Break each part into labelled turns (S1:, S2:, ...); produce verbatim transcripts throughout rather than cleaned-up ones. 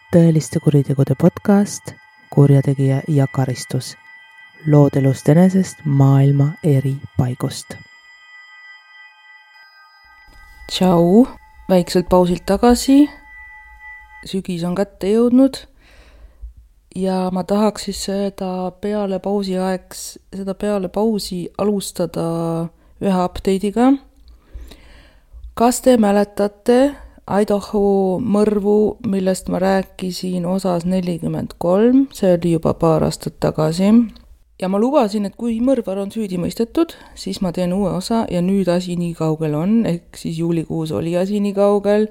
S1: tõeliste kuritegude podcast Kurjategija ja karistus. Lood elust enesest maailma eri paigust. Tšau, väikselt pausilt tagasi. Sügis on kätte jõudnud ja ma tahaks siis seda peale pausi aeks, seda peale pausi alustada ühe update'iga. Kas te mäletate Idaho mõrvu, millest ma rääkisin osas nelikümmend kolm, see oli juba paar aastat tagasi. Ja ma lubasin, et kui mõrvar on süüdi mõistetud, siis ma teen uue osa ja nüüd asi nii kaugel on, ehk siis juulikuus oli asi nii kaugel.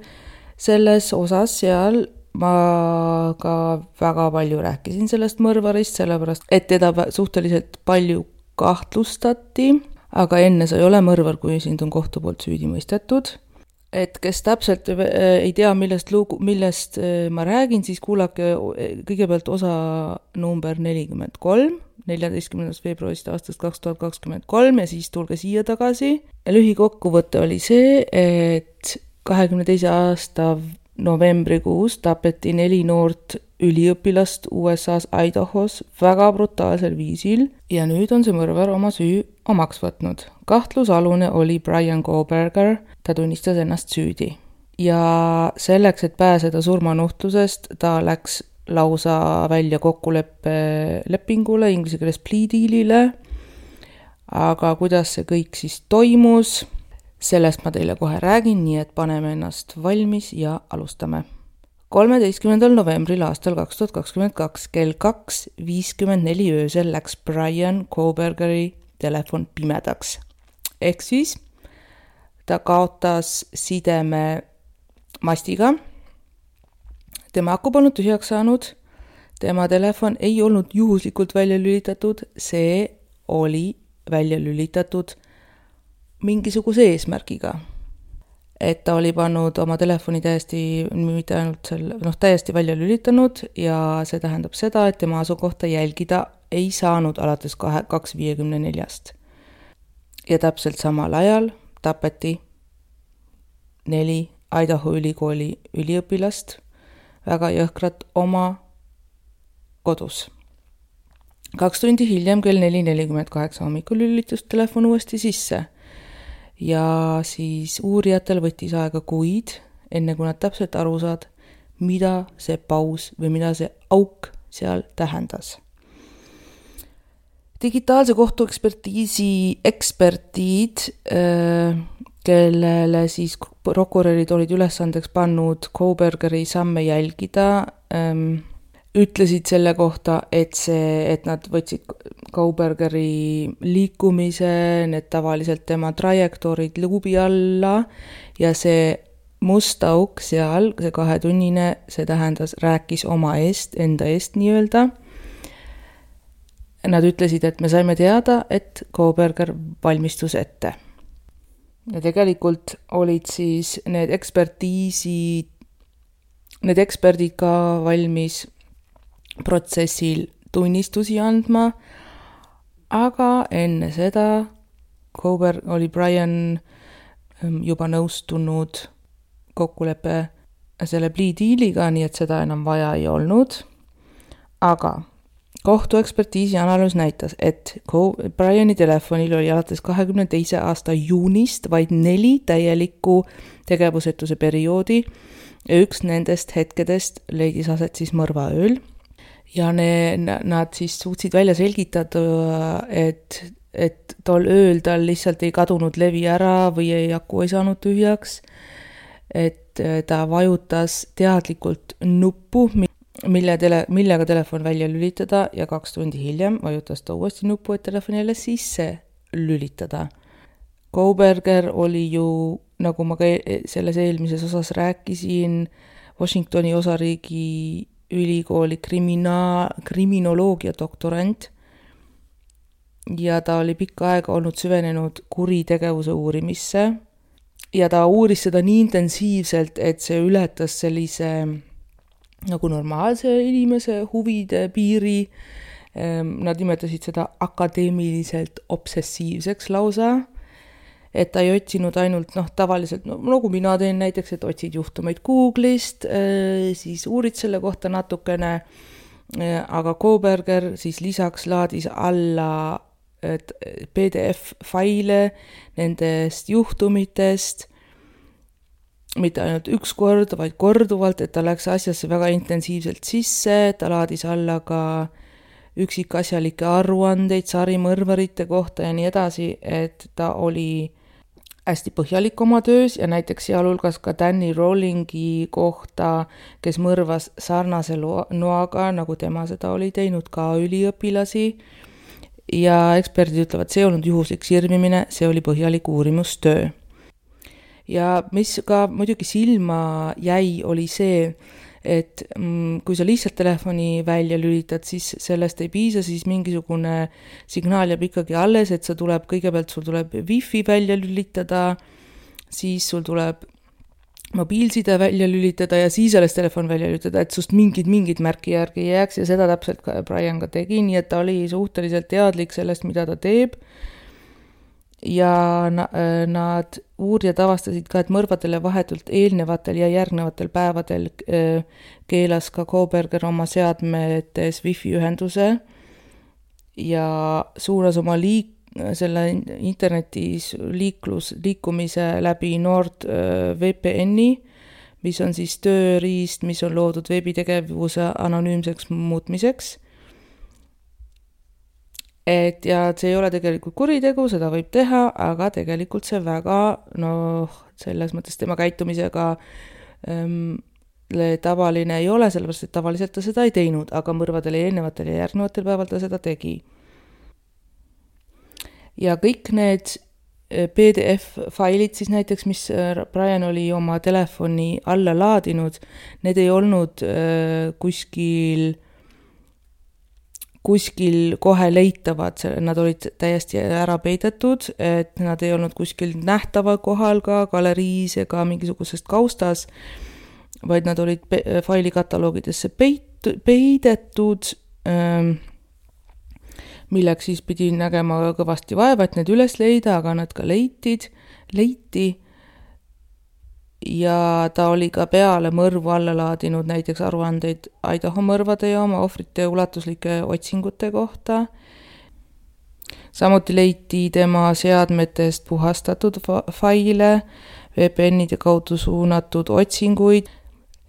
S1: Selles osas seal ma ka väga palju rääkisin sellest mõrvarist, sellepärast et teda suhteliselt palju kahtlustati, aga enne sa ei ole mõrvar, kui sind on kohtu poolt süüdi mõistetud. Et kes täpselt ei tea, millest, lugu, millest ma räägin, siis kuulake kõigepealt osa number nelikümmend kolm, neljateistkümnendast veebruarist aastast kaks tuhat kakskümmend kolm ja siis tulge siia tagasi. Ja lühikokkuvõte oli see, et kahekümne teise aasta novembrikuus tapeti neli noort üliõpilast U S A-s Idahos väga brutaalsel viisil ja nüüd on see mõrvar oma süü omaks võtnud. Kahtlusalune oli Brian Kohberger, ta tunnistas ennast süüdi. Ja selleks, et pääseda surmanuhtlusest, ta läks lausa välja kokkuleppe lepingule, inglise keeles plea dealile. Aga kuidas see kõik siis toimus, sellest ma teile kohe räägin, nii et paneme ennast valmis ja alustame. kolmeteistkümnendal novembril aastal kaks tuhat kakskümmend kaks kell kaks viiskümmend neli öösel läks Brian Kohbergeri telefon pimedaks. Ehk siis ta kaotas sideme mastiga. Tema aku polnud tühjaks saanud. Tema telefon ei olnud juhuslikult välja lülitatud. See oli välja lülitatud mingisuguse eesmärgiga. Et ta oli pannud oma telefoni täiesti, mitte ainult selle, noh, täiesti välja lülitanud ja see tähendab seda, et tema asukohta jälgida ei saanud alates kaks viiekümne neljast. Ja täpselt samal ajal tapeti neli Idaho ülikooli üliõpilast väga jõhkrat oma kodus. Kaks tundi hiljem kell neli nelikümmend kaheksa hommikul lülitus telefon uuesti sisse ja siis uurijatel võttis aega kuid, enne kui nad täpselt aru saad, mida see paus või mida see auk seal tähendas. Digitaalse kohtuekspertiisi ekspertiid, kellele siis prokurörid olid ülesandeks pannud Kohbergeri samme jälgida, ütlesid selle kohta, et, see, et nad võtsid Kohbergeri liikumise, need tavaliselt tema trajektoorid luubi alla ja see must auk seal, see kahetunnine, see tähendas, rääkis oma eest, enda eest nii-öelda. Nad ütlesid, et me saime teada, et Kohberger valmistus ette. Ja tegelikult olid siis need ekspertiisi, need eksperdid ka valmis protsessil tunnistusi andma, aga enne seda Kohberger oli Brian juba nõustunud kokkuleppe selle plea dealiga, nii et seda enam vaja ei olnud. Aga kohtuekspertiisi analüüs näitas, et Briani telefonil oli alates kahekümne teise aasta juunist vaid neli täielikku tegevusetuse perioodi ja üks nendest hetkedest leidis aset siis mõrvaööl. Ja ne, nad siis suutsid välja selgitada, et, et tol ööl tal lihtsalt ei kadunud levi ära või ei aku ei saanud tühjaks, et ta vajutas teadlikult nuppu, Mille tele, millega telefon välja lülitada ja kaks tundi hiljem vajutas ta uuesti nuppu, et telefon jälle sisse lülitada. Kohberger oli ju, nagu ma ka selles eelmises osas rääkisin, Washingtoni osariigi ülikooli krimina, kriminoloogia doktorant ja ta oli pikka aega olnud süvenenud kuritegevuse uurimisse ja ta uuris seda nii intensiivselt, et see ületas sellise nagu normaalse inimese huvide piiri. Nad nimetasid seda akadeemiliselt obsessiivseks lausa et ta ei otsinud ainult noh, tavaliselt, no, nagu mina teen näiteks, et otsid juhtumeid Google'ist, siis uurid selle kohta natukene, aga Koberger siis lisaks laadis alla P D F-faile nendest juhtumitest, mitte ainult üks kord, vaid korduvalt, et ta läks asjasse väga intensiivselt sisse, ta laadis alla ka üksikasjalikke aruandeid sarimõrvarite kohta ja nii edasi, et ta oli hästi põhjalik oma töös ja näiteks sealhulgas ka Danny Rowlingi kohta, kes mõrvas sarnase noaga, nagu tema seda oli teinud ka üliõpilasi. Ja eksperdid ütlevad, see olnud juhuslik sirmimine, see oli põhjalik uurimustöö. Ja mis ka muidugi silma jäi, oli see, et kui sa lihtsalt telefoni välja lülitad, siis sellest ei piisa, siis mingisugune signaal jääb ikkagi alles, et sa tuleb, kõigepealt sul tuleb wifi välja lülitada, siis sul tuleb mobiilside välja lülitada ja siis alles telefon välja lülitada, et sust mingid, mingid märki järgi jääks ja seda täpselt ka Brian ka tegi, nii et ta oli suhteliselt teadlik sellest, mida ta teeb. Ja nad uurijad avastasid ka, et mõrvadele vahetult eelnevatel ja järgnevatel päevadel keelas ka Koberger oma seadmetes wifi ühenduse ja suunas oma liik, selle internetis liiklus, liikumise läbi Nord V P N-i, mis on siis tööriist, mis on loodud veebitegevuse anonüümseks muutmiseks. Et ja see ei ole tegelikult kuritegu, seda võib teha, aga tegelikult see väga, noh, selles mõttes tema käitumisega ähm, tavaline ei ole, sellepärast, et tavaliselt ta seda ei teinud, aga mõrvadel ja eelnevatel ja järgnevatel päeval ta seda tegi. Ja kõik need P D F-failid siis näiteks, mis Brian oli oma telefoni alla laadinud, need ei olnud äh, kuskil kuskil kohe leitavad, nad olid täiesti ära peidetud, et nad ei olnud kuskil nähtava kohal ka galeriis ega mingisugusest kaustas, vaid nad olid pe- failikataloogidesse peit- peidetud, ähm, milleks siis pidi nägema kõvasti vaeva, et need üles leida, aga nad ka leitid, leiti. Ja ta oli ka peale mõrvu alla laadinud näiteks aruandeid Idaho mõrvade ja oma ohvrite ulatuslike otsingute kohta. Samuti leiti tema seadmetest puhastatud faile, V P N-ide kaudu suunatud otsinguid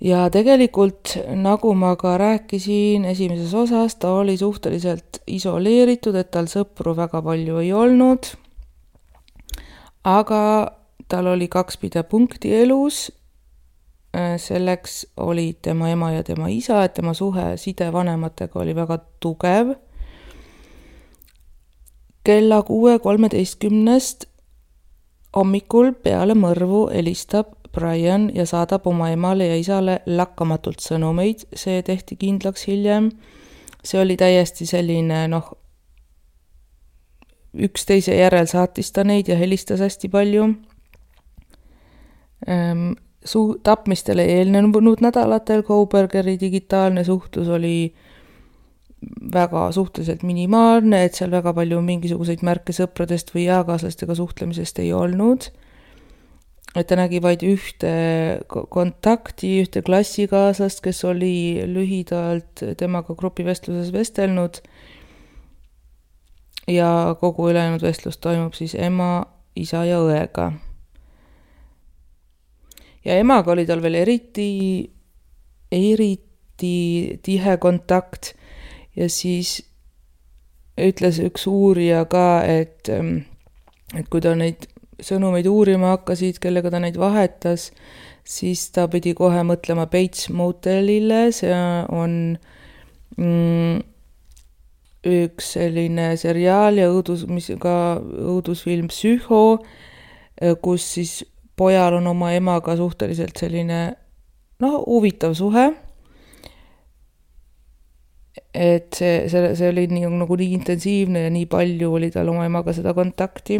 S1: ja tegelikult, nagu ma ka rääkisin esimeses osas, ta oli suhteliselt isoleeritud, et tal sõpru väga palju ei olnud, aga tal oli kaks pidepunkti elus, selleks oli tema ema ja tema isa, et tema suhe sidevanematega oli väga tugev. Kella kuue kolmeteistkümnest hommikul peale mõrvu helistab Brian ja saadab oma emale ja isale lakkamatult sõnumeid, see tehti kindlaks hiljem. See oli täiesti selline, noh, üksteise järel saatis ta neid ja helistas hästi palju. Su- tapmistele eelnenud nädalatel Kobergeri digitaalne suhtlus oli väga suhteliselt minimaalne, et seal väga palju mingisuguseid märke sõpradest või eakaaslastega suhtlemisest ei olnud. Et ta nägi vaid ühte kontakti, ühte klassikaaslast, kes oli lühidalt temaga grupivestluses vestelnud ja kogu ülejäänud vestlus toimub siis ema, isa ja õega. Ja emaga oli tal veel eriti, eriti tihe kontakt ja siis ütles üks uurija ka, et, et kui ta neid sõnumeid uurima hakkasid, kellega ta neid vahetas, siis ta pidi kohe mõtlema Bates Motelile, see on mm, üks selline seriaal ja õudus, mis ka õudusfilm Psycho, kus siis pojal on oma emaga suhteliselt selline, noh, huvitav suhe. Et see, see, see oli nii, nagu nii intensiivne ja nii palju oli tal oma emaga seda kontakti.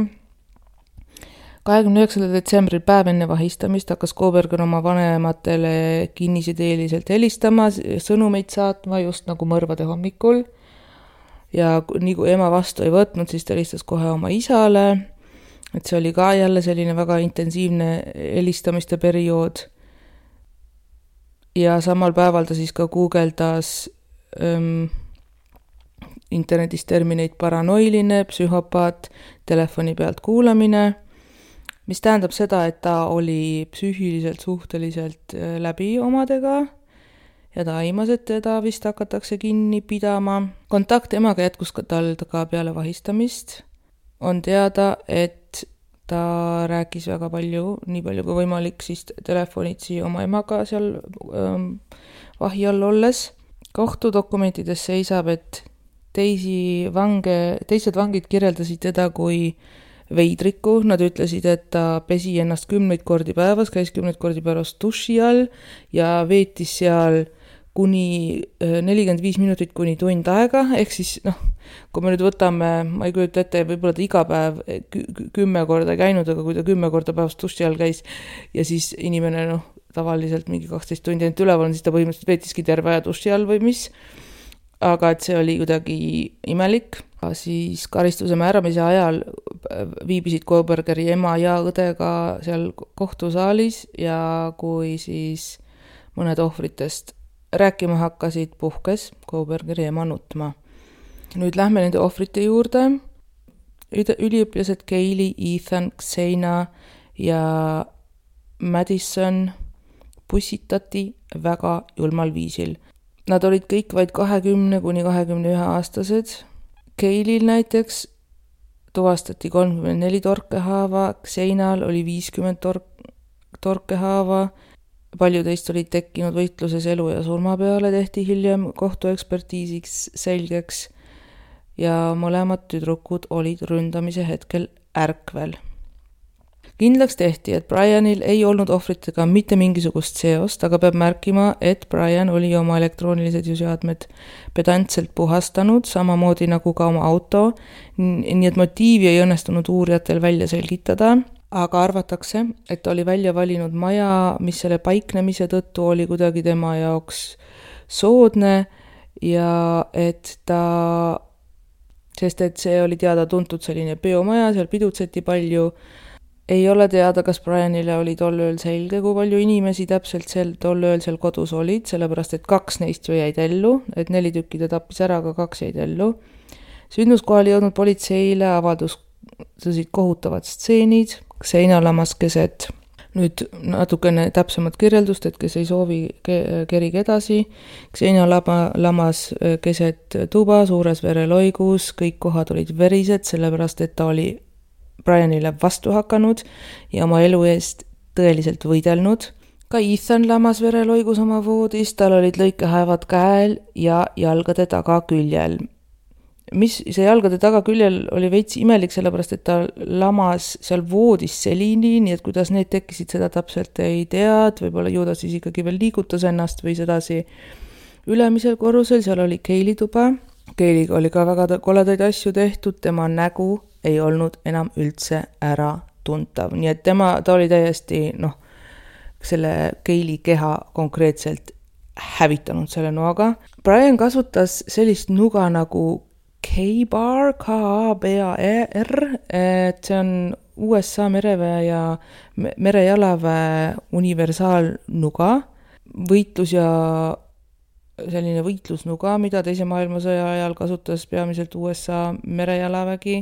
S1: kahekümne üheksandal detsembril päev enne vahistamist hakkas Koberger oma vanematele kinnisideeliselt helistama, sõnumeid saatma just nagu mõrvade hommikul. Ja nii kui ema vastu ei võtnud, siis ta helistas kohe oma isale. et see oli ka jälle selline väga intensiivne helistamiste periood. Ja samal päeval ta siis ka guugeldas ähm, internetis termineid paranoiline, psühhopaat, telefoni pealt kuulamine, mis tähendab seda, et ta oli psüühiliselt suhteliselt läbi omadega ja ta aimas, et teda vist hakatakse kinni pidama. Kontakt emaga jätkus ka tal ka peale vahistamist. On teada, et ta rääkis väga palju, nii palju kui võimalik, siis telefonitsi oma emaga seal ähm, vahi all olles. Kohtudokumentides seisab, et teisi vange, teised vangid kirjeldasid teda kui veidriku. Nad ütlesid, et ta pesi ennast kümneid kordi päevas, käis kümneid kordi päevas duši all ja veetis seal kuni nelikümmend viis minutit kuni tund aega, ehk siis noh, kui me nüüd võtame, ma ei kujuta ette, võib-olla ta iga päev kümme korda käinud, aga kui ta kümme korda päevas duši all käis ja siis inimene noh, tavaliselt mingi kaksteist tundi ainult üleval on, siis ta põhimõtteliselt veetiski terve aja duši all või mis, aga et see oli kuidagi imelik. Siis karistuse määramise ajal viibisid Kobergeri ema ja õdega seal kohtusaalis ja kui siis mõned ohvritest rääkima hakkasid, puhkes Kobergeri ema nutma. Nüüd lähme nende ohvrite juurde. Üliõpilased Kaylee, Ethan, Xena ja Madison pussitati väga julmal viisil. Nad olid kõik vaid kahekümne kuni kahekümne ühe aastased. Kaylil näiteks tuvastati kolmkümmend neli torkehaava, Xenal oli viiskümmend tork- torkehaava. Palju teist olid tekkinud võitluses elu ja surma peale, tehti hiljem kohtuekspertiisiks selgeks ja mõlemad tüdrukud olid ründamise hetkel ärkvel. Kindlaks tehti, et Brianil ei olnud ohvritega mitte mingisugust seost, aga peab märkima, et Brian oli oma elektroonilised seadmed pedantselt puhastanud, samamoodi nagu ka oma auto, nii et motiivi ei õnnestunud uurijatel välja selgitada. Aga arvatakse, et oli välja valinud maja, mis selle paiknemise tõttu oli kuidagi tema jaoks soodne ja et ta, sest et see oli teada tuntud selline peomaja, seal pidutseti palju. Ei ole teada, kas Brianile oli tol ööl selge, kui palju inimesi täpselt sel tol ööl seal kodus olid, sellepärast et kaks neist ju jäid ellu, et neli tükki ta tappis ära, aga kaks jäid ellu. Sündmuskohal jõudnud politseile avaldusid kohutavad stseenid. Xena lamas keset, nüüd natukene täpsemat kirjeldust, et kes ei soovi, kerige edasi. Xena lama, lamas keset tuba, suures vereloigus, kõik kohad olid verised, sellepärast et ta oli Brianile vastu hakanud ja oma elu eest tõeliselt võidelnud. Ka Ethan lamas vereloigus oma voodis, tal olid lõikehaevad käel ja jalgade taga küljel. Mis see jalgade taga küljel oli veits imelik, sellepärast et ta lamas seal voodis selini, nii et kuidas need tekkisid, seda täpselt ei tea, et võib-olla ju ta siis ikkagi veel liigutas ennast või sedasi ülemisel korrusel, seal oli Kaylee tuba. Kaylee'ga oli ka väga koledaid asju tehtud, tema nägu ei olnud enam üldse ära tuntav, nii et tema, ta oli täiesti noh, selle Kaylee keha konkreetselt hävitanud selle noaga. Brian kasutas sellist nuga nagu K-Bar, K A B A R, et see on U S A mereväe ja merejalaväe universaalnuga, võitlus ja selline võitlusnuga, mida teise maailmasõja ajal kasutas peamiselt U S A merejalavägi,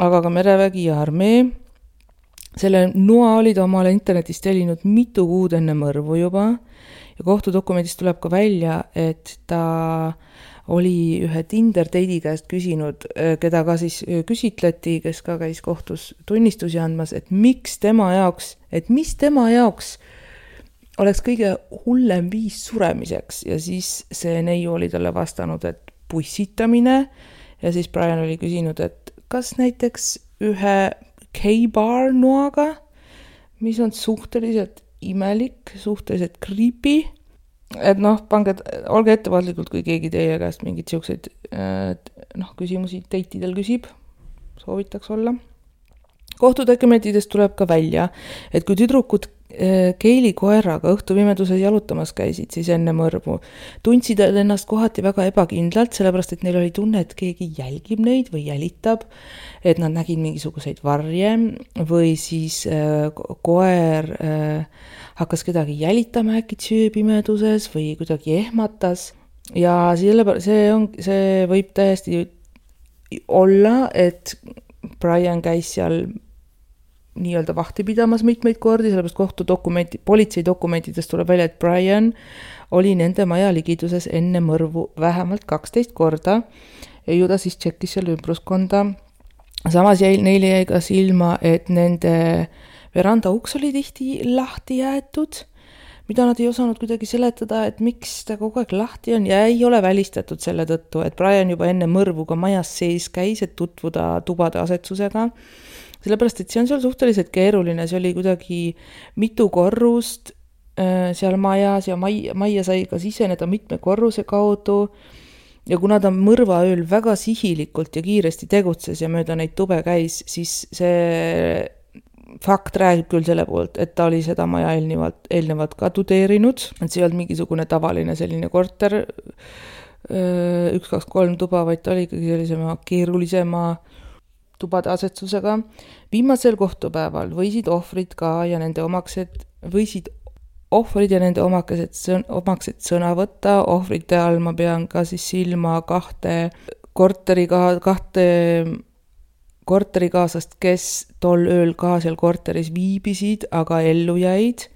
S1: aga ka merevägi ja armee. Selle noa oli ta omale internetist tellinud mitu kuud enne mõrvu juba ja kohtudokumendist tuleb ka välja, et ta oli ühe Tinder date'i käest küsinud, keda ka siis küsitleti, kes ka käis kohtus tunnistusi andmas, et miks tema jaoks, et mis tema jaoks oleks kõige hullem viis suremiseks ja siis see neiu oli talle vastanud, et pussitamine ja siis Brian oli küsinud, et kas näiteks ühe K-Bar noaga, mis on suhteliselt imelik, suhteliselt creepy, et noh, pange, olge ettevaatlikult, kui keegi teie käest mingid siukseid noh, küsimusi date'idel küsib, soovitaks olla. Kohtudokumentidest tuleb ka välja, et kui tüdrukud Keili koeraga õhtupimeduses jalutamas käisid siis enne mõrvu. Tundsid ennast kohati väga ebakindlalt, sellepärast et neil oli tunne, et keegi jälgib neid või jälitab, et nad nägid mingisuguseid varje või siis äh, koer äh, hakkas kedagi jälitama äkki sööpimeduses või kuidagi ehmatas. Ja selle, see, on, see võib täiesti olla, et Brian käis seal nii-öelda vahti pidamas mitmeid kordi, sellepärast kohtudokumenti, politsei dokumentidest tuleb välja, et Brian oli nende maja ligiduses enne mõrvu vähemalt kaksteist korda ja ju ta siis tšekkis seal ümbruskonda. Samas jäi, neile jäi ka silma, et nende veranda uks oli tihti lahti jäetud, mida nad ei osanud kuidagi seletada, et miks ta kogu aeg lahti on ja ei ole välistatud selle tõttu, et Brian juba enne mõrvu ka majas sees käis, et tutvuda tubade asetsusega. Sellepärast, et see on seal suhteliselt keeruline, see oli kuidagi mitu korrust äh, seal majas ja maia, maia sai ka siseneda mitme korruse kaudu ja kuna ta mõrvaööl väga sihilikult ja kiiresti tegutses ja mööda neid tube käis, siis see fakt räägib küll selle poolt, et ta oli seda maja eelnevalt, eelnevalt ka tudeerinud, et see ei olnud mingisugune tavaline selline korter, üks, kaks, kolm tuba, vaid ta oli ikkagi sellisema keerulisema tubade asetsusega. Viimasel kohtupäeval võisid ohvrid ka ja nende omaksed, võisid ohvrid ja nende omakesed, omaksed sõna võtta. Ohvrite all ma pean ka siis silma kahte korteriga, kahte korterikaasast, kes tol ööl ka seal korteris viibisid, aga ellu jäid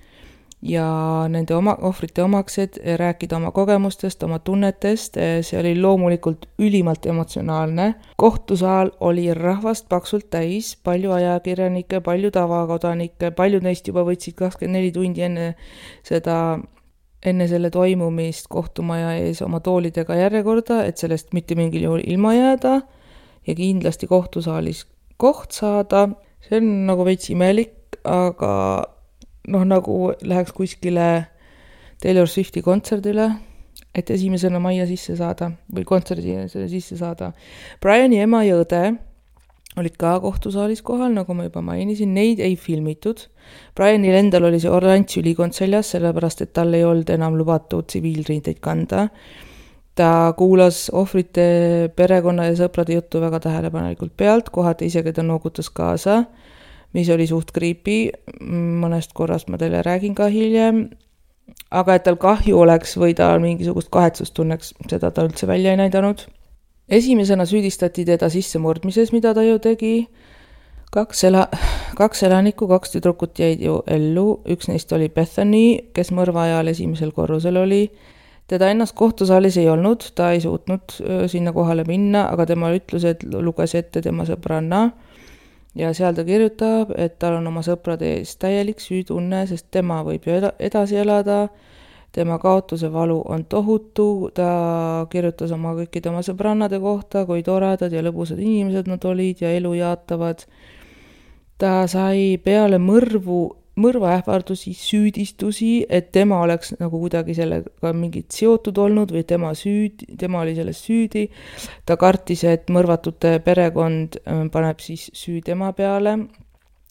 S1: ja nende oma, ohvrite omaksed rääkida oma kogemustest, oma tunnetest, see oli loomulikult ülimalt emotsionaalne. Kohtusaal oli rahvast paksult täis, palju ajakirjanikke, palju tavakodanikke, paljud neist juba võtsid kakskümmend neli tundi enne seda, enne selle toimumist kohtumaja ees oma toolidega järjekorda, et sellest mitte mingil juhul ilma jääda ja kindlasti kohtusaalis koht saada. See on nagu veits imelik, aga noh, nagu läheks kuskile Taylor Swifti kontserdile, et esimesena majja sisse saada või kontserdi sisse saada. Briani ema ja õde olid ka kohtusaalis kohal, nagu ma juba mainisin, neid ei filmitud. Brianil endal oli see oranž ülikond seljas, sellepärast et tal ei olnud enam lubatud tsiviilriideid kanda. Ta kuulas ohvrite perekonna ja sõprade juttu väga tähelepanelikult pealt, kohati isegi ta noogutas kaasa, mis oli suht creepy, mõnest korrast ma teile räägin ka hiljem, aga et tal kahju oleks või ta mingisugust kahetsust tunneks, seda ta üldse välja ei näidanud. Esimesena süüdistati teda sissemurdmises, mida ta ju tegi. Kaks, ela, kaks elanikku, kaks tüdrukut jäid ju ellu, üks neist oli Bethany, kes mõrva ajal esimesel korrusel oli. Teda ennast kohtusaalis ei olnud, ta ei suutnud sinna kohale minna, aga tema ütlused luges ette tema sõbranna ja seal ta kirjutab, et tal on oma sõprade ees täielik süütunne, sest tema võib ju edasi elada, tema kaotuse valu on tohutu, ta kirjutas oma kõikide oma sõbrannade kohta, kui toredad ja lõbusad inimesed nad olid ja elu jaatavad. Ta sai peale mõrvu mõrvaähvardusi, süüdistusi, et tema oleks nagu kuidagi sellega mingit seotud olnud või tema süüd, tema oli selles süüdi. Ta kartis, et mõrvatute perekond paneb siis süü tema peale,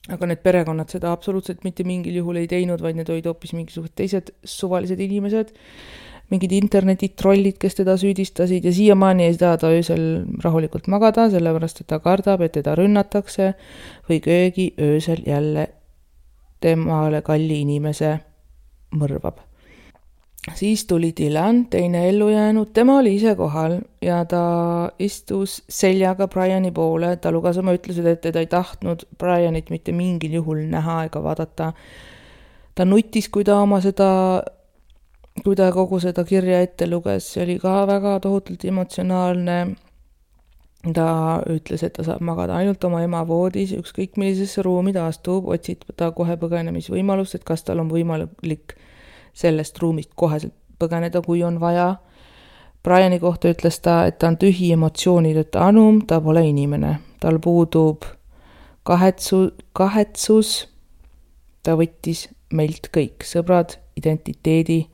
S1: aga need perekonnad seda absoluutselt mitte mingil juhul ei teinud, vaid need olid hoopis mingisugused teised suvalised inimesed, mingid internetitrollid, kes teda süüdistasid ja siiamaani ei saa ta öösel rahulikult magada, sellepärast et ta kardab, et teda rünnatakse või köögi öösel jälle temale kalli inimese mõrvab. Siis tuli Dylan, teine ellu jäänud, tema oli ise kohal ja ta istus seljaga Briani poole, ta luges oma ütlused, et teda ei tahtnud Brianit mitte mingil juhul näha ega vaadata. Ta nutis, kui ta oma seda, kui ta kogu seda kirja ette luges, see oli ka väga tohutult emotsionaalne. Ta ütles, et ta saab magada ainult oma ema voodis, ükskõik millisesse ruumi ta astub, otsib ta kohe põgenemisvõimalust, et kas tal on võimalik sellest ruumist koheselt põgeneda, kui on vaja. Briani kohta ütles ta, et ta on tühi emotsioonideta anum, ta pole inimene. Tal puudub kahetsu, kahetsus, ta võttis meilt kõik, sõbrad, identiteedi,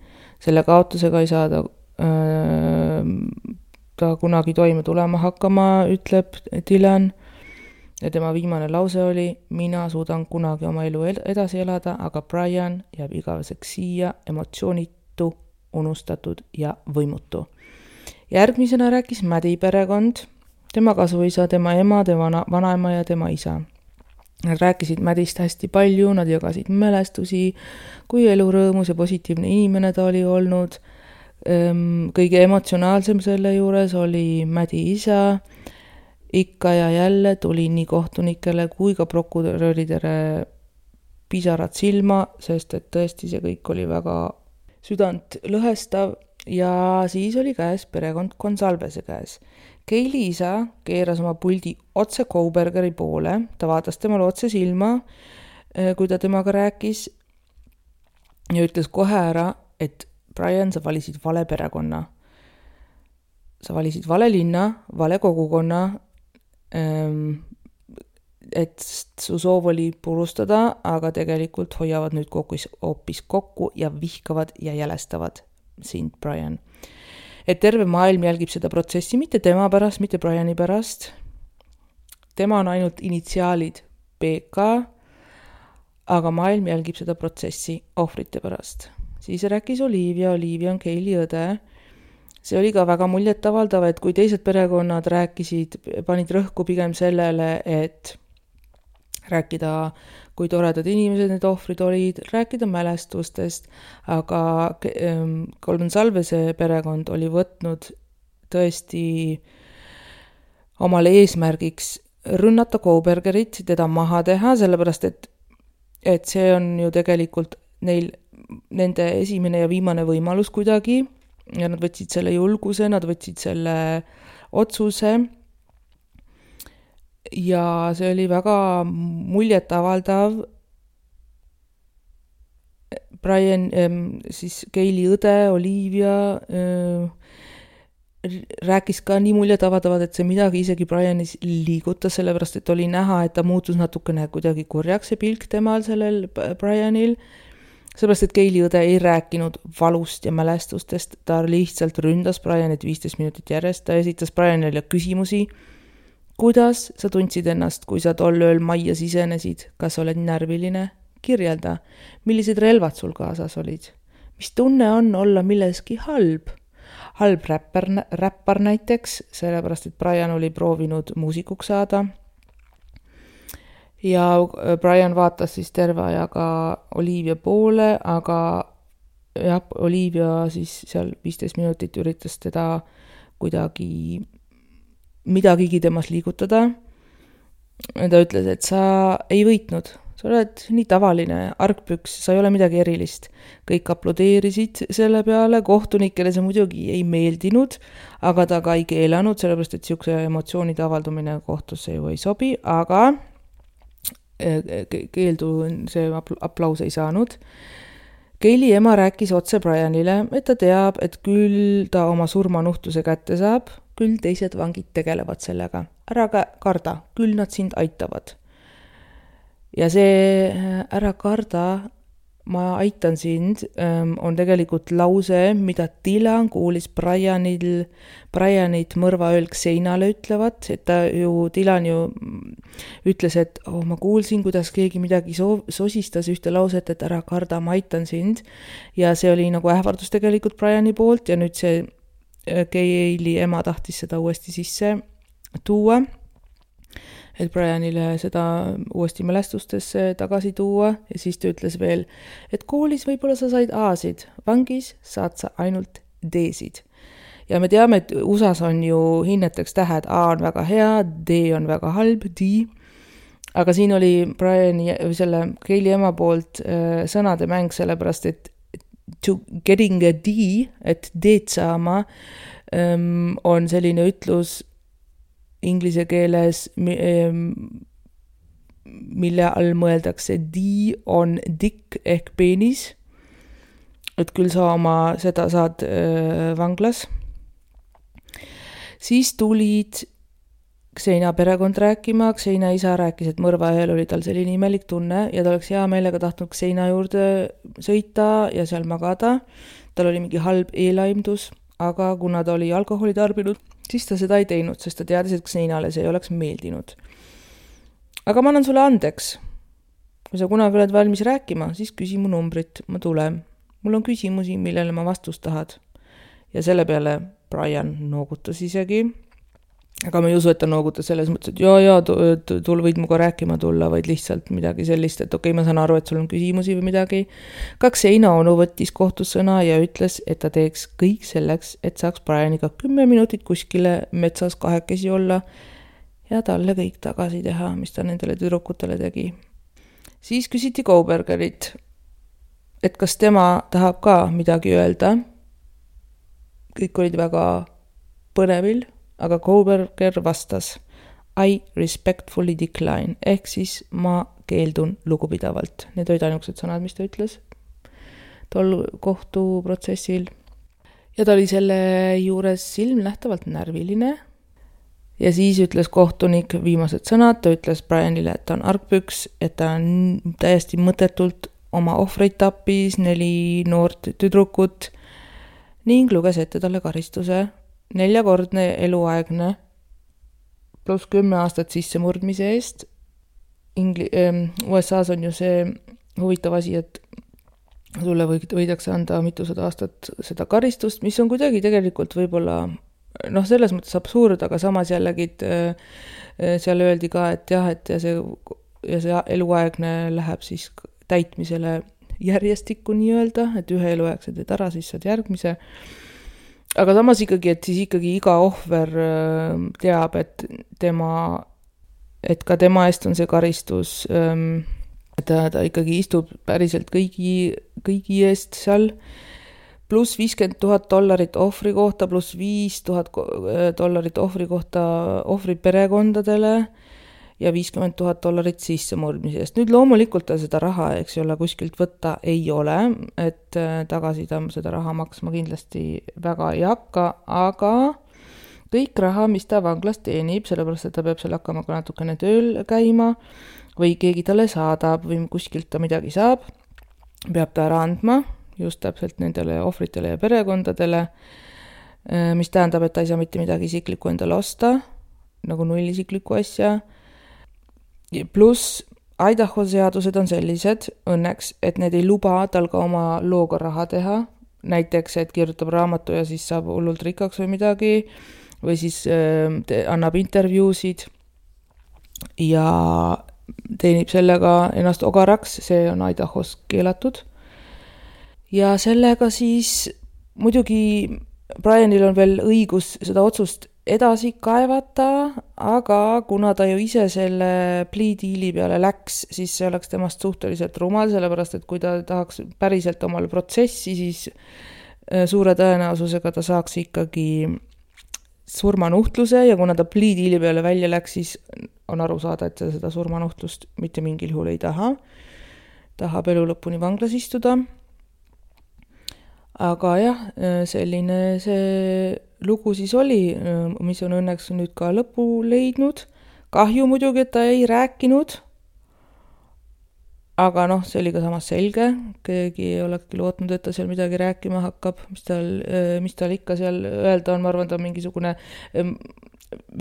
S1: selle kaotusega ei saa ta öö, ta kunagi toime tulema hakkama, ütleb Dylan. ja tema viimane lause oli: mina suudan kunagi oma elu edasi elada, aga Brian jääb igaveseks siia, emotsioonitu, unustatud ja võimutu. Järgmisena rääkis Maddi perekond, tema kasuisa, tema ema, tema vanaema ja tema isa. Nad rääkisid Maddist hästi palju, nad jagasid mälestusi, kui elurõõmus ja positiivne inimene ta oli olnud. Kõige emotsionaalsem selle juures oli Maddi isa. Ikka ja jälle tuli nii kohtunikele kui ka prokuröridele pisarad silma, sest et tõesti see kõik oli väga südant lõhestav. Ja siis oli käes perekond Gonsalvese käes. Kayleigh isa keeras oma puldi otse Kohbergeri poole, ta vaatas temale otse silma, kui ta temaga rääkis ja ütles kohe ära, et Brian, sa valisid vale perekonna. Sa valisid vale linna, vale kogukonna, et su soov oli purustada, aga tegelikult hoiavad nüüd hoopis kokku ja vihkavad ja jälestavad sind, Brian. Et terve maailm jälgib seda protsessi, mitte tema pärast, mitte Briani pärast. Tema on ainult initsiaalid B K, aga maailm jälgib seda protsessi ohvrite pärast. Siis rääkis Olivia, Olivia on Kayleigh õde. See oli ka väga muljetavaldav, et kui teised perekonnad rääkisid, panid rõhku pigem sellele, et rääkida, kui toredad inimesed need ohvrid olid, rääkida mälestustest, aga Gonsalvese perekond oli võtnud tõesti omale eesmärgiks rünnata Kohbergerit, teda maha teha, sellepärast et, et see on ju tegelikult neil, nende esimene ja viimane võimalus kuidagi ja nad võtsid selle julguse, nad võtsid selle otsuse. Ja see oli väga muljetavaldav. Brian, siis Kayleigh õde, Olivia rääkis ka nii muljetavaldavat, et see midagi isegi Brianis liigutas, sellepärast et oli näha, et ta muutus natukene kuidagi kurjaks see pilk temal sellel Brianil. Sellepärast, et Kayleigh õde ei rääkinud valust ja mälestustest, ta lihtsalt ründas Brianit viisteist minutit järjest, ta esitas Brianile küsimusi. Kuidas sa tundsid ennast, kui sa tol ööl majja sisenesid? Kas oled närviline? Kirjelda, millised relvad sul kaasas olid? Mis tunne on olla milleski halb? Halb räppar, räppar näiteks, sellepärast, et Brian oli proovinud muusikuks saada. Ja Brian vaatas siis terve ajaga Olivia poole, aga jah, Olivia siis seal viisteist minutit üritas teda kuidagi midagigi temas liigutada. Ta ütles, et sa ei võitnud. Sa oled nii tavaline argpüks, sa ei ole midagi erilist. Kõik aplodeerisid selle peale, kohtunikele see muidugi ei meeldinud, aga ta ka ei keelanud, sellepärast et siukse emotsioonide avaldumine kohtusse ju ei sobi, aga keeldu see aplaus ei saanud. Kayleigh ema rääkis otse Brianile, et ta teab, et küll ta oma surmanuhtuse kätte saab, küll teised vangid tegelevad sellega. Ära karda, küll nad sind aitavad. Ja see ära karda, ma aitan sind, on tegelikult lause, mida Dylan kuulis Brianil, Brianit mõrvaööl seinale ütlevat, et ta ju, Dylan ju ütles, et oh, ma kuulsin, kuidas keegi midagi so- sosistas ühte lauset, et ära karda, ma aitan sind. Ja see oli nagu ähvardus tegelikult Briani poolt ja nüüd see Kayleigh ema tahtis seda uuesti sisse tuua, et Brianile seda uuesti mälestustesse tagasi tuua ja siis ta ütles veel, et koolis võib-olla sa said A-sid, vangis saad sa ainult D-sid. Ja me teame, et U S A-s on ju hinneteks tähed, A on väga hea, D on väga halb, D, aga siin oli Briani või selle Kayleigh ema poolt äh, sõnade mäng, sellepärast et to getting a D, et D-d saama, um, on selline ütlus inglise keeles, mille all mõeldakse D on dick ehk peenis, et küll sa oma seda saad äh, vanglas. Siis tulid Xena perekond rääkima, Xena isa rääkis, et mõrva ajal oli tal selline imelik tunne ja ta oleks hea meelega tahtnud Xena juurde sõita ja seal magada. Tal oli mingi halb eelaimdus, aga kuna ta oli alkoholi tarbinud, siis ta seda ei teinud, sest ta teadis, et Xenale see ei oleks meeldinud. aga ma annan sulle andeks. Kui sa kunagi oled valmis rääkima, siis küsi mu numbrit, ma tulen. Mul on küsimusi, millele ma vastust tahad. Ja selle peale Brian noogutas isegi. Aga ma ei usu, et ta noogutas selles mõttes, et jaa, jaa, tul võid muga rääkima tulla, vaid lihtsalt midagi sellist, et okei, ma saan aru, et sul on küsimusi või midagi. Kaks seina onu võttis kohtussõna ja ütles, et ta teeks kõik selleks, et saaks Brianiga kümme minutit kuskile metsas kahekesi olla ja talle kõik tagasi teha, mis ta nendele tüdrukutele tegi. Siis küsiti Kobergerit, et kas tema tahab ka midagi öelda. Kõik olid väga põnevil. Aga Koberger vastas I respectfully decline, ehk siis ma keeldun lugupidavalt. Need olid ainukesed sõnad, mis ta ütles tol kohtuprotsessil. Ja ta oli selle juures silmnähtavalt närviline. Ja siis ütles kohtunik viimased sõnad, ta ütles Brianile, et ta on argpüks, et ta on täiesti mõttetult oma ohvreid tappis, neli noort tüdrukut ning luges ette talle karistuse. Neljakordne eluaegne pluss kümme aastat sisse murdmise eest. Ingli- U S A-s on ju see huvitav asi, et sulle võidakse anda mitusada aastat seda karistust, mis on kuidagi tegelikult võib-olla noh, selles mõttes absurd, aga samas jällegi seal öeldi ka, et jah, et ja see, ja see eluaegne läheb siis täitmisele järjestikku nii öelda, et ühe eluaegse teed ära, siis saad järgmise. Aga samas ikkagi, et siis ikkagi iga ohver teab, et tema, et ka tema eest on see karistus, et ta, ta ikkagi istub päriselt kõigi, kõigi eest seal, pluss viiskümmend tuhat dollarit ohvri kohta, pluss viis tuhat dollarit ohvri kohta ohvri perekondadele ja viiskümmend tuhat dollarit sissemurdmise eest. Nüüd loomulikult ta seda raha, eks ole, kuskilt võtta ei ole, et tagasi ta seda raha maksma kindlasti väga ei hakka, aga kõik raha, mis ta vanglas teenib, sellepärast, et ta peab seal hakkama ka natukene tööl käima või keegi talle saadab või kuskilt ta midagi saab, peab ta ära andma just täpselt nendele ohvritele ja perekondadele, mis tähendab, et ta ei saa mitte midagi isiklikku endale osta, nagu null isiklikku asja. Pluss Idaho seadused on sellised õnneks, et need ei luba tal ka oma looga raha teha. Näiteks, et kirjutab raamatu ja siis saab hullult rikkaks või midagi või siis äh, annab intervjuusid ja teenib sellega ennast ogaraks, see on Idahos keelatud. Ja sellega siis muidugi Brianil on veel õigus seda otsust edasi kaevata, aga kuna ta ju ise selle plea deali peale läks, siis see oleks temast suhteliselt rumal, sellepärast et kui ta tahaks päriselt omale protsessi, siis suure tõenäosusega ta saaks ikkagi surmanuhtluse ja kuna ta plea deali peale välja läks, siis on aru saada, et ta seda surmanuhtlust mitte mingil juhul ei taha. Tahab elu lõpuni vanglas istuda. Aga jah, selline see lugu siis oli, mis on õnneks nüüd ka lõpu leidnud. Kahju muidugi, et ta ei rääkinud, aga noh, see oli ka samas selge. Keegi ei olekski lootnud, et ta seal midagi rääkima hakkab, mis tal, mis tal ikka seal öelda on. Ma arvan, ta on mingisugune,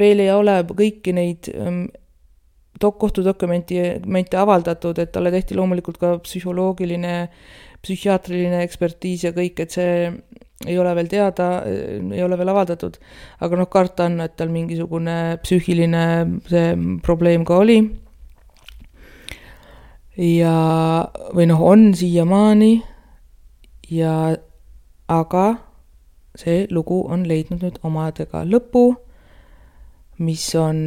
S1: veel ei ole kõiki neid kohtudokumente avaldatud, et talle tehti loomulikult ka psühholoogiline psühhiaatriline ekspertiis ja kõik, et see ei ole veel teada, ei ole veel avaldatud, aga noh, karta on, et tal mingisugune psüühiline see probleem ka oli. Ja, või noh, on siiamaani, ja, aga see lugu on leidnud nüüd omadega lõpu, mis on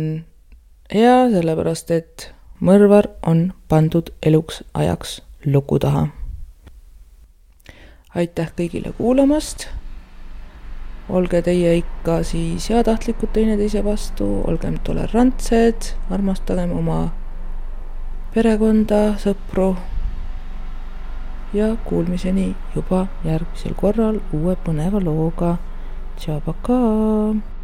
S1: hea, sellepärast et mõrvar on pandud eluks ajaks luku taha. Aitäh kõigile kuulamast, olge teie ikka siis heatahtlikud teineteise vastu, olgem tolerantsed, armastagem oma perekonda, sõpru ja kuulmiseni juba järgmisel korral uue põneva looga. Tšau, pakaa!